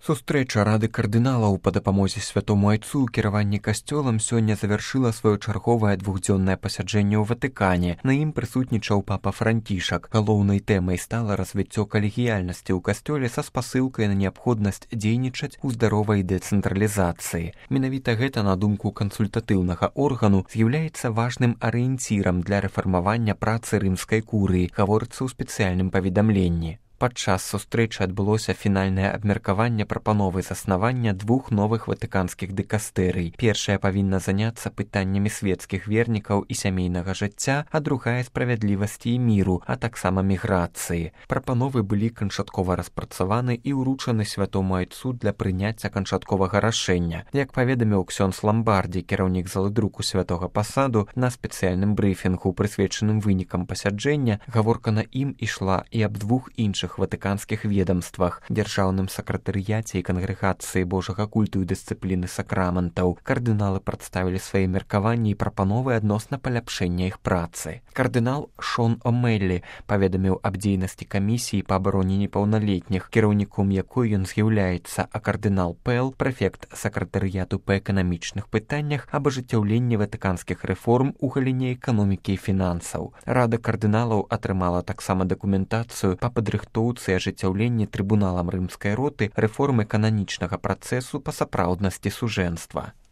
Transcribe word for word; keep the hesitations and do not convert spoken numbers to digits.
Сустрэча рады кардыналаў па дапамозе святому айцу ў кіраванні касцёлам сёння завяршыла сваё чарговае двухдзённае пасяджэнне ў Ватыкане. На ім прысутнічаў папа Францішак. Галоўнай тэмай стала развіццё калегіяльнасці ў касцёле са спасылкай на неабходнасць дзейнічаць у здаровай дэцэнтралізацыі. Менавіта гэта, на думку кансультатыўнага органу, з'яўляецца важным арыенцірам для рэфармавання працы рымскай курыі, гаворыцца ў спецыяльным паведамленні. Падчас сустрэчы адбылося фінальнае абмеркаванне прапановы заснавання двух новых ватыканскіх дыкастэрый. Першая павінна заняцца пытаннямі свецкіх вернікаў і сямейнага жыцця, а другая справядлівасці і міру, а таксама міграцыі. Прапановы былі канчаткова распрацаваны і ўручаны святому айцу для прыняцця канчатковага рашэння. Як паведаміў ксёндз Ламбардзі, кіраўнік залы друку святога пасаду, на спецыяльным брыфінгу, прысвечаным вынікам пасяджэння, гаворка на ім ішла і аб двух іншых ватыканскіх ведомствах, дзяржаўным сакратарыяце і кангрэгацыі Божага культу і дысцыпліны сакраментаў. Кардыналы прадставілі свае меркаванні і прапановы адносна паляпшэння іх працы. Кардынал Шон О'Мэллі паведаміў аб дзейнасці камісіі па абароне непаўналетніх, кіраўніком якой ён з'яўляецца, а кардынал Пэл, прэфект сакратарыяту па эканамічных пытаннях, аб ажыццяўленні ватыканскіх рэформ у галіне эканомікі і фінансаў. Рада кардыналаў атрымала таксама дакументацыю па падрыхтоўцы і ажыццяўленні трыбуналам рымскай роты рэформы кананічнага працэсу па сапраўднасці сужэнства.